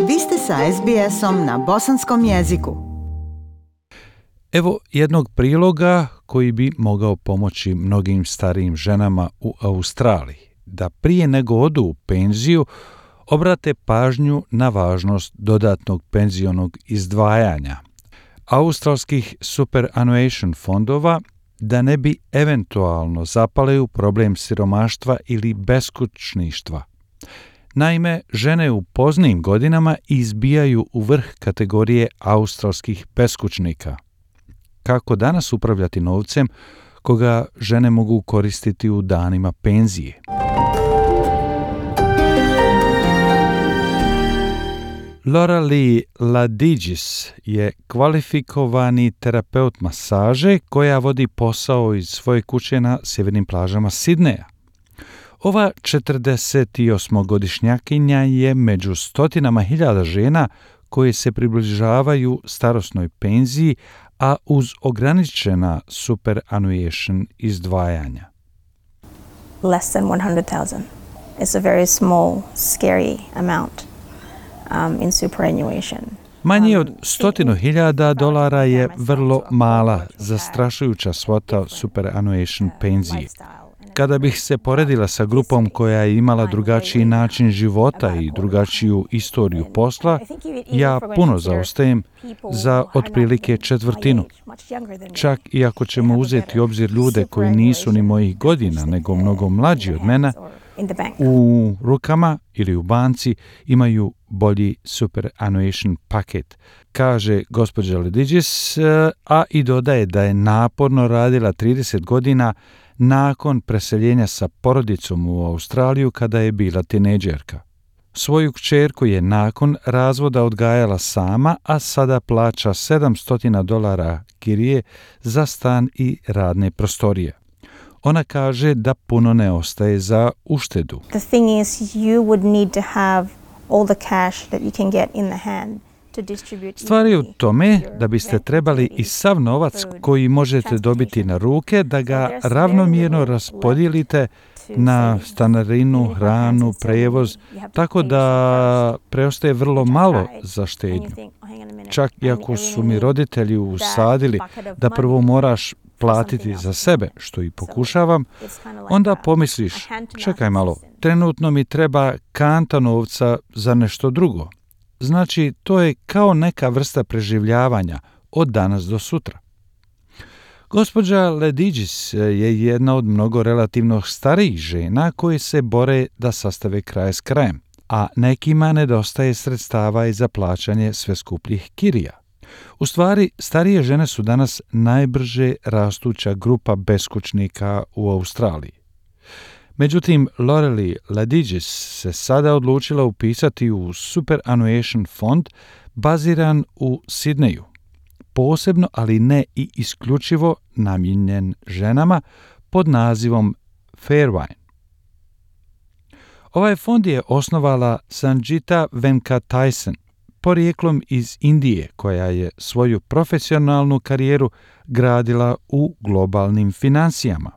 Vi ste sa SBS-om na bosanskom jeziku. Evo jednog priloga koji bi mogao pomoći mnogim starijim ženama u Australiji da prije nego odu u penziju obrate pažnju na važnost dodatnog penzionog izdvajanja australskih superannuation fondova da ne bi eventualno zapale u problem siromaštva ili beskućništva. Naime, žene u poznijim godinama izbijaju u vrh kategorije australskih beskućnika. Kako danas upravljati novcem koga žene mogu koristiti u danima penzije? Loralee Ladigis je kvalifikovani terapeut masaže koja vodi posao iz svoje kuće na sjevernim plažama Sidneja. Ova 48-godišnjakinja je među stotinama hiljada žena koje se približavaju starosnoj penziji, a uz ograničena superannuation izdvajanja. Less than 100,000. It's a very small, scary amount in superannuation. Manje od $100,000 je vrlo mala, zastrašujuća svota superannuation penzije. Kada bih se poredila sa grupom koja je imala drugačiji način života i drugačiju istoriju posla, ja puno zaostajem za otprilike četvrtinu. Čak i ako ćemo uzeti u obzir ljude koji nisu ni mojih godina, nego mnogo mlađi od mene, u rukama ili u banci imaju bolji superannuation paket, kaže gospođa Ladigis, a i dodaje da je naporno radila 30 godina nakon preseljenja sa porodicom u Australiju kada je bila tinejdžerka. Svoju kćerku je nakon razvoda odgajala sama, a sada plaća $700 kirije za stan i radne prostorije. Ona kaže da puno ne ostaje za uštedu. The thing is, you would need to have all the cash that you can get in the hand. Stvar je u tome da biste trebali i sav novac koji možete dobiti na ruke da ga ravnomjerno raspodijelite na stanarinu, hranu, prevoz, tako da preostaje vrlo malo za štednju. Čak i ako su mi roditelji usadili da prvo moraš platiti za sebe, što i pokušavam, onda pomisliš, čekaj malo, trenutno mi treba kanta novca za nešto drugo. Znači, to je kao neka vrsta preživljavanja od danas do sutra. Gospođa Ladigis je jedna od mnogo relativno starijih žena koje se bore da sastave kraj s krajem, a nekima nedostaje sredstava i za plaćanje sve skupljih kirija. U stvari, starije žene su danas najbrže rastuća grupa beskućnika u Australiji. Međutim, Loralee Ladigis se sada odlučila upisati u superannuation fond baziran u Sidneju, posebno, ali ne i isključivo namijenjen ženama pod nazivom Fairwine. Ovaj fond je osnovala Sanjita Venkatesan, porijeklom iz Indije, koja je svoju profesionalnu karijeru gradila u globalnim financijama.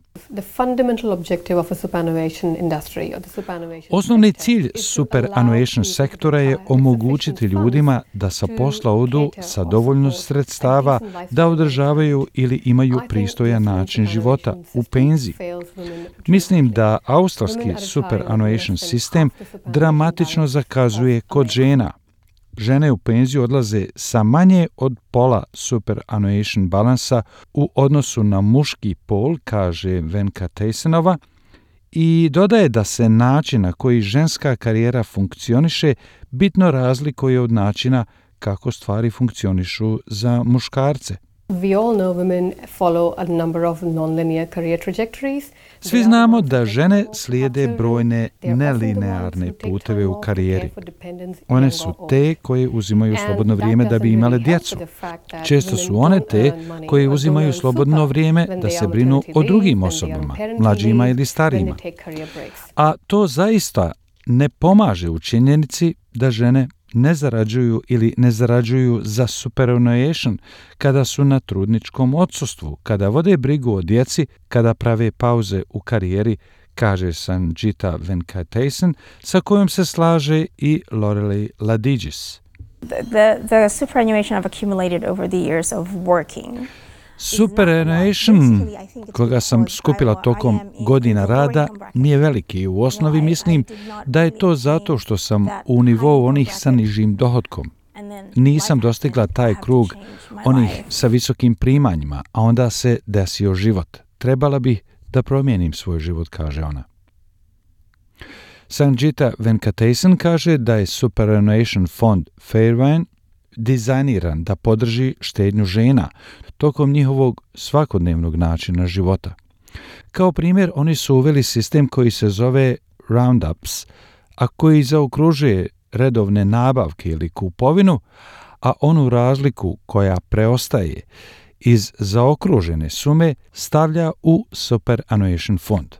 Osnovni cilj superannuation sektora je omogućiti ljudima da sa posla odu sa dovoljno sredstava da održavaju ili imaju pristojan način života u penziji. Mislim da australski superannuation sistem dramatično zakazuje kod žena. Žene u penziju odlaze sa manje od pola superannuation balansa u odnosu na muški pol, kaže Venkatesanova, i dodaje da se način na koji ženska karijera funkcioniše bitno razlikuje od načina kako stvari funkcionišu za muškarce. We all know women follow a number of non-linear career trajectories. Svi znamo da žene slijede brojne nelinearne puteve u karijeri. One su te koje uzimaju slobodno vrijeme da bi imale djecu. Često su one te koje uzimaju slobodno vrijeme da se brinu o drugim osobama, mlađima ili starijima. A to zaista ne pomaže u činjenici da žene ne zarađuju ili ne zarađuju za superannuation kada su na trudničkom odsustvu, kada vode brigu o djeci, kada prave pauze u karijeri, kaže Sanjita Venkatesan, sa kojom se slaže i Lorelei Ladigis. The superannuation I've accumulated over the years of working. Superannuation, koga sam skupila tokom godina rada, nije veliki. U osnovi mislim da je to zato što sam u nivou onih sa nižim dohotkom. Nisam dostigla taj krug onih sa visokim primanjima, a onda se desio život. Trebala bih da promijenim svoj život, kaže ona. Sanjita Venkatesan kaže da je Superannuation fond Fairbairn dizajniran da podrži štednju žena tokom njihovog svakodnevnog načina života. Kao primjer, oni su uveli sistem koji se zove Roundups, a koji zaokružuje redovne nabavke ili kupovinu, a onu razliku koja preostaje iz zaokružene sume stavlja u Superannuation fond.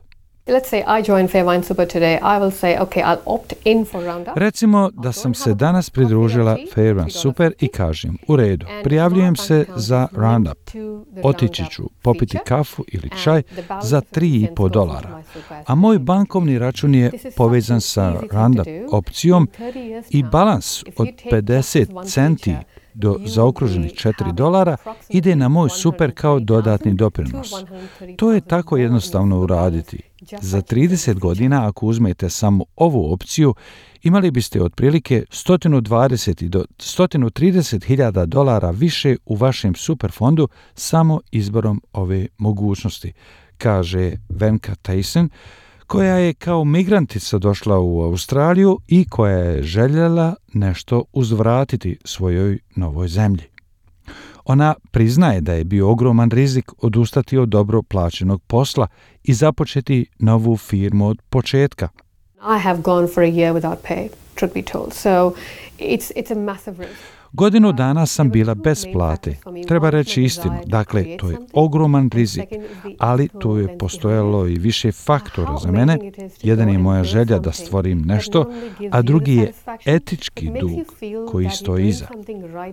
Let's say I join Fairbairn Super today. I will say, okay, I'll opt in for Roundup. Recimo da sam se danas pridružila Fairbairn Super i kažem, u redu, prijavljujem se za Roundup. Otići ću popiti kafu ili čaj za $3,5, a moj bankovni račun je povezan sa Roundup opcijom i balans od 50 centi do zaokruženih $4 ide na moj super kao dodatni doprinos. To je tako jednostavno uraditi. Za 30 godina, ako uzmete samo ovu opciju, imali biste otprilike 120 do $130,000 više u vašem superfondu samo izborom ove mogućnosti, kaže Venkatesan, koja je kao migrantica došla u Australiju i koja je željela nešto uzvratiti svojoj novoj zemlji. Ona priznaje da je bio ogroman rizik odustati od dobro plaćenog posla i započeti novu firmu od početka. I have gone for a year without pay, truth be told. So it's a massive risk. Godinu dana sam bila bez plate. Treba reći istinu. Dakle, to je ogroman rizik, ali tu je postojalo i više faktora za mene. Jedan je moja želja da stvorim nešto, a drugi je etički dug koji stoji iza.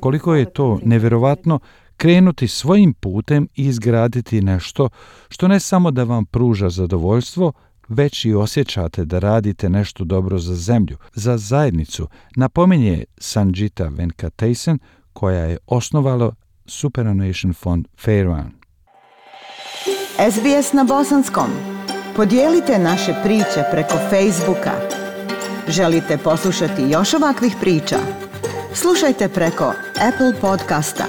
Koliko je to nevjerovatno krenuti svojim putem i izgraditi nešto što ne samo da vam pruža zadovoljstvo, već i osjećate da radite nešto dobro za zemlju, za zajednicu, napominje Sanjita Venkatesan, koja je osnovala Superannuation fond Fairbairn. SBS na bosanskom. Podijelite naše priče preko Facebooka. Želite poslušati još ovakvih priča? Slušajte preko Apple podcasta,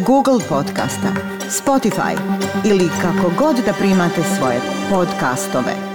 Google podcasta, Spotify ili kako god da primate svoje podcastove.